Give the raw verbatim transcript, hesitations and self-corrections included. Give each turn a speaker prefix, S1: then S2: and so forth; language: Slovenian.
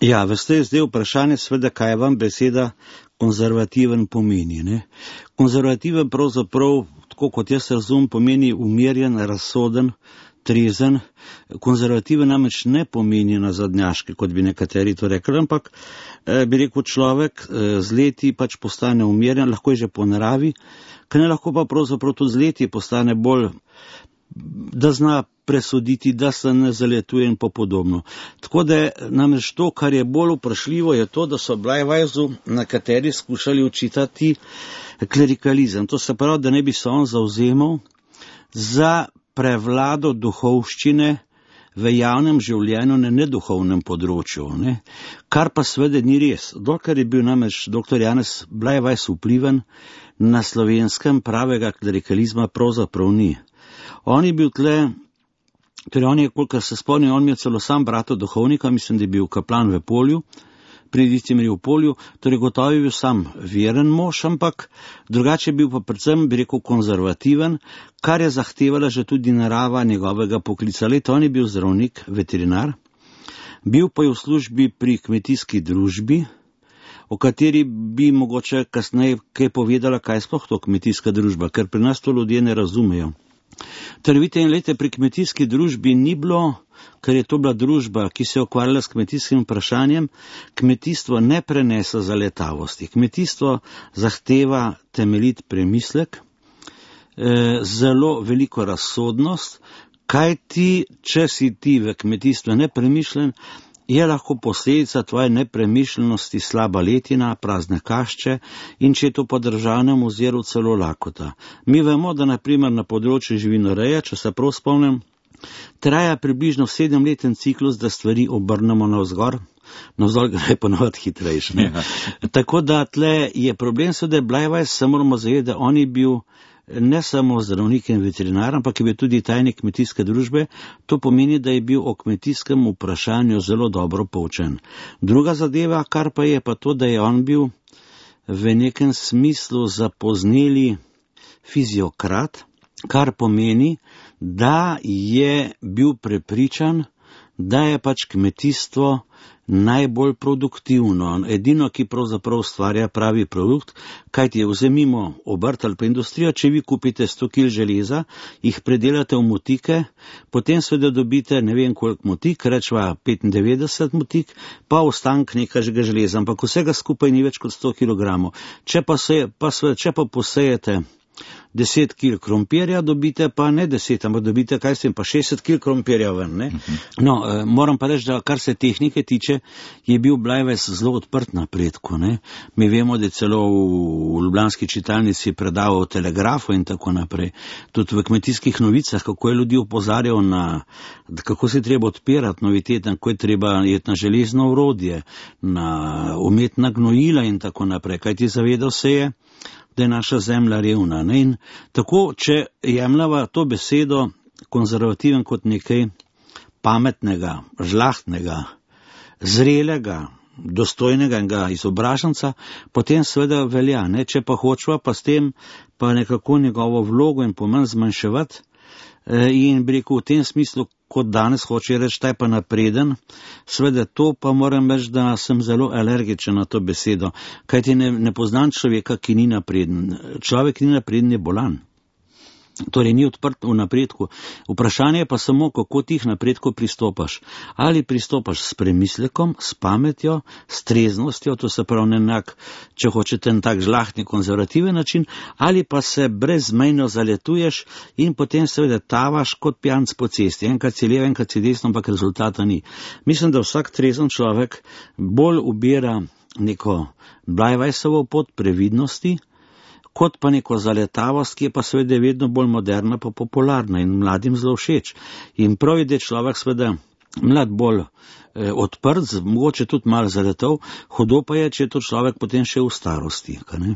S1: Ja, veste, je zdaj vprašanje sveda, kaj vam beseda konzervativen pomeni. Ne? Konzervativen pravzaprav, tako kot jaz razumem, pomeni umirjen, razsoden, trezen. Konzervativen namreč ne pomeni nazadnjaški, kot bi nekateri to rekli, ampak eh, bi rekel človek eh, z leti pač postane umirjen, lahko je že po naravi, ker ne lahko pa pravzaprav tudi z leti postane bolj, da zna presoditi, da se ne zaletuje in po podobno. Tako da namreč to, kar je bolj vprašljivo, je to, da so Bleiweisu nekateri skušali učitati klerikalizem. To se pravi, da ne bi se on zavzemal za prevlado duhovščine v javnem življenju na neduhovnem področju, ne? Kar pa seveda ni res. Dokler je bil namreč doktor Janez Bleiweis vpliven, na Slovenskem pravega klerikalizma pravzaprav ni. On je bil tle, torej on je, kolikor se spomnim, on je celo sam brata duhovnika, mislim, da je bil kaplan v Polju, pri Vicimri v Polju, torej gotovo je bil sam veren mož, ampak drugače je bil pa predvsem, bi rekel, konzervativen, kar je zahtevala že tudi narava njegovega poklica. Leto, on je bil zdravnik, veterinar, bil pa je v službi pri kmetijski družbi, o kateri bi mogoče kasneje kaj povedala, kaj sploh to kmetijska družba, ker pri nas to ljudje ne razumejo. Torej, vidite, in lete, pri kmetijski družbi ni bilo, ker je to bila družba, ki se je ukvarjala s kmetijskim vprašanjem, kmetijstvo ne prenese zaletavosti. Kmetijstvo zahteva temeljit premislek, eh, zelo veliko razsodnost, kaj ti, če si ti v kmetijstvu nepremišljen, je lahko posledica tvoje nepremišljenosti slaba letina, prazne kašče in če je to po državnem oziru celo lakota. Mi vemo, da naprimer na področju živinoreje, če se prav spomnim, traja približno sedemleten ciklus, da stvari obrnemo navzgor, navzgor gre ponovati hitrejše. Ja. Tako da tle je problem, da je Bleiweis, se moramo zavedati, da on je bil ne samo zdravnik in veterinar, ampak je bil tudi tajnik kmetijske družbe. To pomeni, da je bil o kmetijskem vprašanju zelo dobro poučen. Druga zadeva, kar pa je pa to, da je on bil v nekem smislu zapozneli fiziokrat, kar pomeni, da je bil prepričan, da je pač kmetijstvo najbolj produktivno, edino, ki pravzaprav ustvarja pravi produkt, kajti vzemimo obrt ali pa industrijo, če vi kupite sto kil železa, jih predelate v motike, potem seveda dobite ne vem koliko motik, rečva petindevetdeset motik, pa ostank nekega železa, ampak vsega skupaj ni več kot sto kilogramov. Če pa, se, pa, če pa posejete deset kil krompirja, dobite pa ne deset, ampak dobite, kaj s tem, pa šestdeset kil krompirja ven. Ne? No, eh, moram pa reči, da kar se tehnike tiče, je bil Bleiweis zelo odprt napredku. Ne? Mi vemo, da je celo v ljubljanski čitalnici predaval o telegrafu in tako naprej. Tudi v kmetijskih novicah, kako je ljudi opozarjal na, kako se treba odpirati novitete, kako je treba jeti na železno orodje, na umetna gnojila in tako naprej. Kajti zavedal se je, da je naša zemlja revna. Ne? In tako, če jemljava to besedo konzervativen kot nekaj pametnega, žlahtnega, zrelega, dostojnega izobraženca, potem seveda velja. Ne? Če pa hočeva pa s tem pa nekako njegovo vlogo in pomen zmanjševati, in bi rekel v tem smislu, kot danes hoče reči, taj pa napreden, seveda to pa moram reči, da sem zelo alergičen na to besedo, kajti ne, ne poznam človeka, ki ni napreden. Človek, ki ni napreden, je bolan. Torej ni odprt v napredku. Vprašanje je pa samo, kako ti k napredku pristopaš. Ali pristopaš s premislekom, s pametjo, s treznostjo, to se pravi nenak, če hočete en tak žlahtni konzervativen način, ali pa se brezmejno zaletuješ in potem seveda tavaš kot pijanc po cesti. Enkrat si levo, enkrat si desno, ampak rezultata ni. Mislim, da vsak trezen človek bolj ubira neko Bleiweisovo pot previdnosti, kot pa neko zaletavost, ki je pa seveda vedno bolj moderna pa popularna in mladim zelo všeč. In prav je, da je človek seveda mlad bolj eh, odprt, mogoče tudi malo zaletov, hudo pa je, če je to človek potem še v starosti. Kaj ne?